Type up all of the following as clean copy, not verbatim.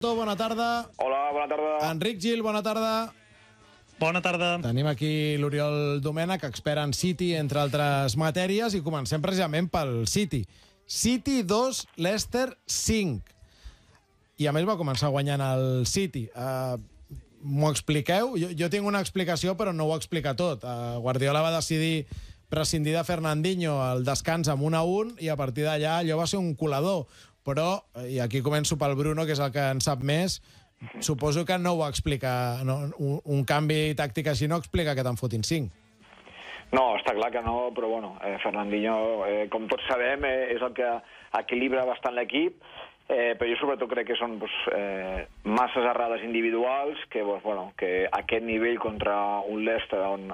Bona tarda. Hola, bona tarda. Enric Gil, bona tarda. Bona tarda. Tenim aquí l'Oriol Domènech, expert en City, entre altres matèries, i comencem precisament pel City. City 2, Leicester 5. I a més va començar guanyant el City. M'ho expliqueu? Jo tinc una explicació, però no ho explica tot. Guardiola va decidir prescindir de Fernandinho al descans amb 1-1 i a partir d'allà allò va ser un colador. Però, i aquí començo pel Bruno, que és el que en sap més, suposo que no ho explica, no, un canvi tàctic així no explica que te'n fotin 5. No, està clar que no, però bueno, Fernandinho, com tots sabem, és el que equilibra bastant l'equip, però jo sobretot crec que són masses errades individuals que aquest nivell contra un Leicester on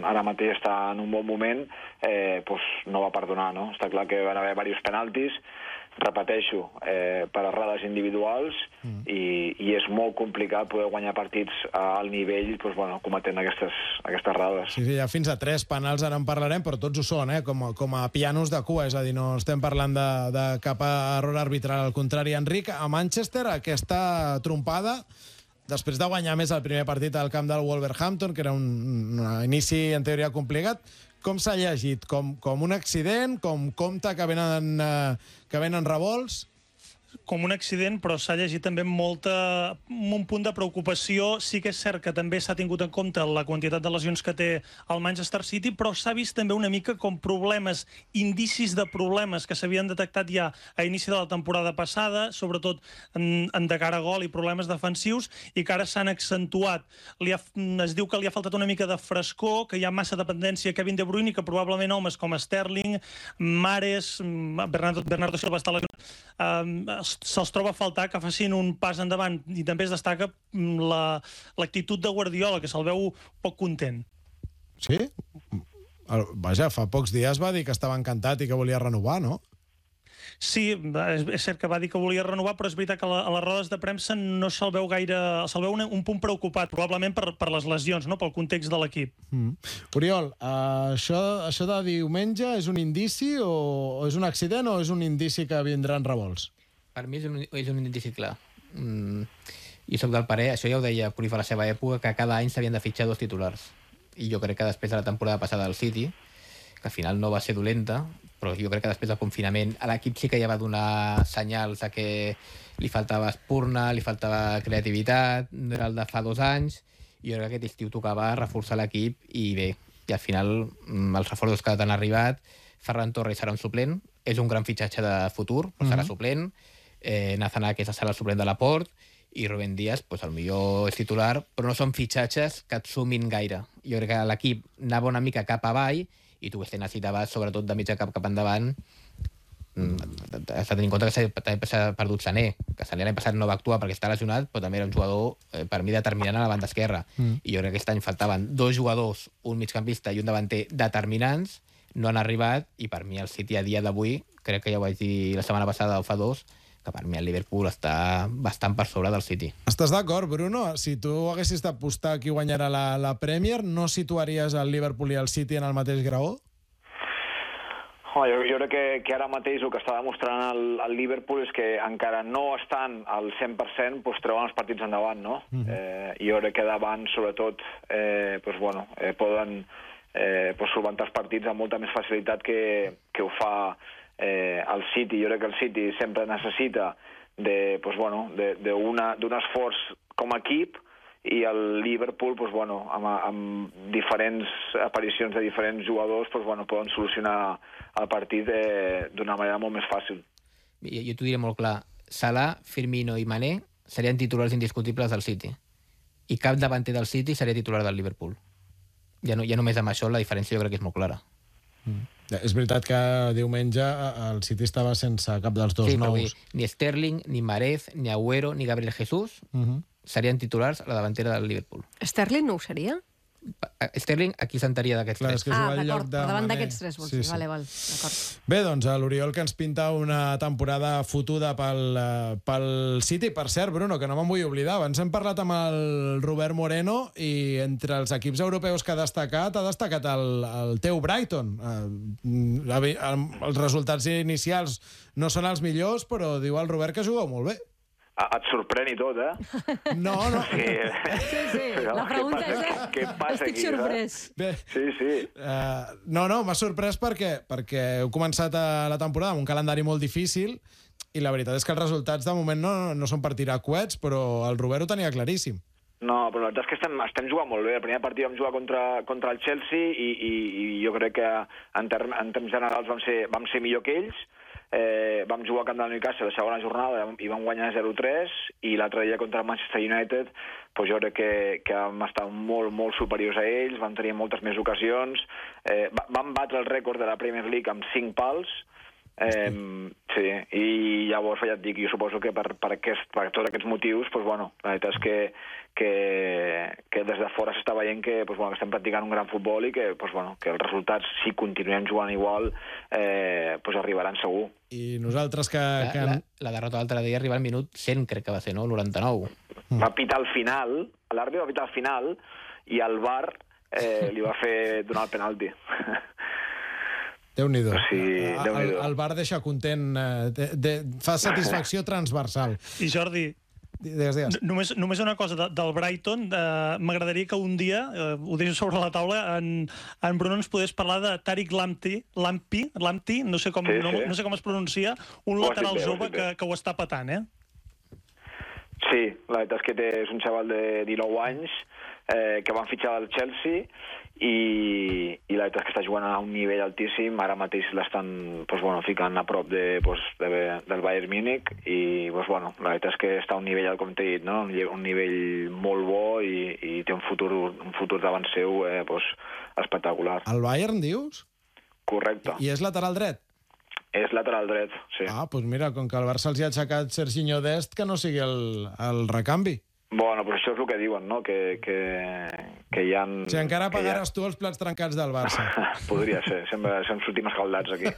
ara mateix està en un bon moment no va perdonar, no? Està clar que van haver diversos penaltis, repeteixo, per errades individuals i és molt complicat poder guanyar partits al nivell cometent aquestes errades. Sí, ja fins a 3 penals ara en parlarem, però tots ho són, com a pianos de cua, és a dir, no estem parlant de cap error arbitral, al contrari. Enric, a Manchester aquesta trompada, després de guanyar més el primer partit al camp del Wolverhampton, que era un inici en teoria complicat, com s'ha llegit? Com un accident? Com compte que venen revolts? Com un accident, però s'ha llegit també amb un punt de preocupació. Sí que és cert que també s'ha tingut en compte la quantitat de lesions que té el Manchester City, però s'ha vist també una mica com problemes, indicis de problemes que s'havien detectat ja a inici de la temporada passada, sobretot en de cara a gol i problemes defensius, i que ara s'han accentuat. Es diu que li ha faltat una mica de frescor, que hi ha massa dependència a Kevin De Bruyne i que probablement homes com Sterling, Mahrez, Bernardo Silva està lesionat, se'ls troba a faltar que facin un pas endavant, i també es destaca l'actitud de Guardiola, que se'l veu poc content. Sí? Vaja, fa pocs dies va dir que estava encantat i que volia renovar, no? Sí, és cert que va dir que volia renovar, però és veritat que a les rodes de premsa no se'l veu gaire... Se'l veu un punt preocupat, probablement per les lesions, no? Pel context de l'equip. Oriol, això de diumenge és un indici o és un accident o és un indici que vindran revolts? Per mi és un indici clar. I soc del parer, això ja ho deia Cruyff a la seva època, que cada any s'havien de fitxar 2 titulars. I jo crec que després de la temporada passada del City, que al final no va ser dolenta, però jo crec que després del confinament a l'equip sí que ja va donar senyals de que li faltava espurna, li faltava creativitat, no era el de fa 2 anys, i jo crec que aquest estiu tocava reforçar l'equip i bé, i al final els reforços que han arribat, Ferran Torres serà un suplent, és un gran fitxatge de futur, però serà suplent, Nathan Ake serà el suplent de Laporte, i Rubén Díaz, potser és titular, però no són fitxatges que et sumin gaire. Jo crec que l'equip anava una mica cap avall, i tu necessitaves, sobretot de mitja cap endavant, has de tenir en compte que s'ha perdut Sané, que Sané l'any passat no va actuar perquè està lesionat, però també era un jugador, per mi, determinant a la banda esquerra. I jo crec que aquest any faltaven 2 jugadors, un migcampista i un davanter determinants, no han arribat, i per mi el City a dia d'avui, crec que ja ho vaig dir la setmana passada o fa 2, que per mi el Liverpool està bastant per sobre del City. Estàs d'acord, Bruno? Si tu haguessis d'apostar qui guanyarà la Premier, no situaries el Liverpool i el City en el mateix graó? Jo crec que ara mateix el que està demostrant el Liverpool és que encara no estan al 100%, treuen els partits endavant, no? Jo crec que davant, sobretot, poden solventar els partits amb molta més facilitat que ho fa el City. Jo crec que el City sempre necessita d'un esforç com a equip, i el Liverpool, amb diferents aparicions de diferents jugadors, poden solucionar el partit d'una manera molt més fàcil. Jo t'ho diré molt clar. Salah, Firmino i Mané serien titulars indiscutibles del City. I cap davanter del City seria titular del Liverpool. Ja només amb això la diferència jo crec que és molt clara. És veritat que diumenge el City estava sense cap dels dos nous. Ni Sterling, ni Mahrez, ni Agüero, ni Gabriel Jesús serien titulars a la davantera del Liverpool. Sterling no ho seria? Sterling aquí sentaria d'aquests 3. D'acord, per davant d'aquests 3 vols dir. Vale, d'acord. Bé, doncs l'Oriol que ens pinta una temporada fotuda pel City. Per cert, Bruno, que no me'n vull oblidar, abans hem parlat amb el Robert Moreno i entre els equips europeus que ha destacat el teu Brighton. Els resultats inicials no són els millors, però diu el Robert que jugueu molt bé. et sorprèn i tot, eh? No. Sí, la pregunta és... Què passa Estic aquí, sorprès. Bé, Sí. no, m'ha sorprès perquè heu començat la temporada amb un calendari molt difícil i la veritat és que els resultats de moment no són per tirar coets, però el Robert ho tenia claríssim. No, però la veritat és que estem jugant molt bé. El primer partit vam jugar contra el Chelsea i jo crec que en termes generals vam ser millor que ells. Vam jugar a camp del Newcastle la segona jornada i vam guanyar 0-3 i l'altre dia contra el Manchester United doncs jo crec que vam estar molt, molt superiors a ells, vam tenir moltes més ocasions, vam batre el rècord de la Premier League amb 5 pals. Sí, i llavors ja et dic, jo suposo que per tots aquests motius, doncs, bueno, la veritat és que des de fora s'està veient que estem practicant un gran futbol i que els resultats, si continuem jugant igual, arribaran segur. I nosaltres que... La derrota l'altre dia arriba al minut 100, crec que va ser, no? 99. Va pitar al final, l'àrbitre va pitar al final i el VAR li va fer donar el penalti. Déu-n'hi-do. Sí, Déu-n'hi-do. El VAR deixa content, fa satisfacció transversal. I Jordi, Digues. només una cosa del Brighton. M'agradaria que un dia, ho deixo sobre la taula, en Bruno ens podés parlar de Tariq Lamptey, no sé com es pronuncia, un lateral jove que ho està patant, eh? Sí, la veritat és que és un xaval de 19 anys que van fitxar del Chelsea i la veritat és que està jugant a un nivell altíssim. Ara mateix l'estan ficant a prop del Bayern Múnich i la veritat és que està a un nivell, com t'he dit, no? Un nivell molt bo i té un futur davant seu espectacular. El Bayern, dius? Correcte. I és lateral dret? És lateral dret, sí. Doncs mira, com que el Barça els hi ha aixecat Serginho Dest, que no sigui el recanvi. Bueno, però això és el que diuen, no? Que hi ha... Si encara pagaràs tu els plats trencats del Barça. Podria ser, sempre sortim escaldats aquí.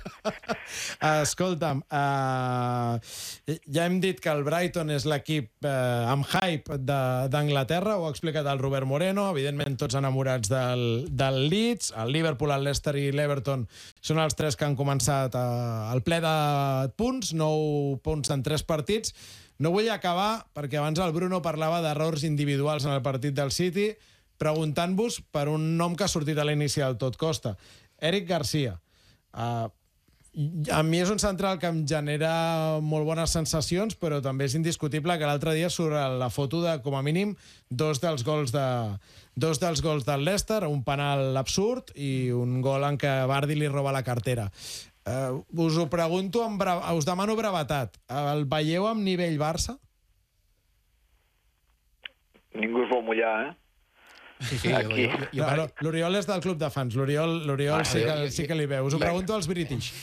Escolta'm, ja hem dit que el Brighton és l'equip amb hype d'Anglaterra, ho ha explicat el Robert Moreno, evidentment tots enamorats del Leeds, el Liverpool, el Leicester i l'Everton són els 3 que han començat al ple de punts, 9 punts en 3 partits. No vull acabar, perquè abans el Bruno parlava d'errors individuals en el partit del City, preguntant-vos per un nom que ha sortit a l'inici del tot costa. Eric Garcia. A mi és un central que em genera molt bones sensacions, però també és indiscutible que l'altre dia surt la foto de, com a mínim, dos dels gols del Leicester, un penal absurd i un gol en què Vardy li roba la cartera. Us ho pregunto, us demano brevetat. El veieu amb nivell Barça? Ningú es vol mullar, eh? Sí, l'Oriol és del club de fans. L'Oriol sí que li veu. Us ho pregunto als British.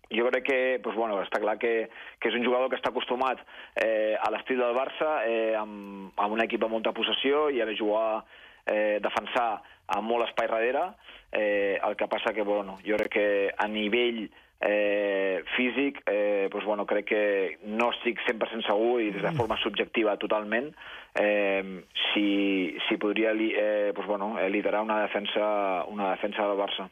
Jo crec que està clar que és un jugador que està acostumat a l'estil del Barça, amb un equip amb molta possessió i ha de jugar, defensar amb molt espai darrere. El que passa que jo crec que a nivell físic crec que no estic 100% segur i des de forma subjectiva totalment si podria liderar una defensa del Barça.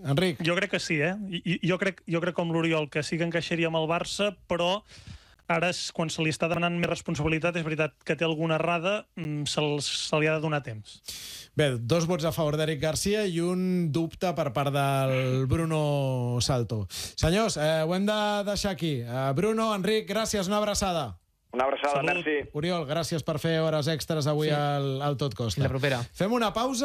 Enric. Jo crec que sí, eh? Jo crec com l'Oriol, que sí que encaixaria amb el Barça, però ara, quan se li està demanant més responsabilitat, és veritat que té alguna errada, se li ha de donar temps. Bé, 2 vots a favor d'Eric Garcia i un dubte per part del Bruno Salto. Senyors, ho hem de deixar aquí. Bruno, Enric, gràcies, una abraçada. Una abraçada, Salut. merci. Oriol, gràcies per fer hores extres avui al Tot Costa. La propera. Fem una pausa.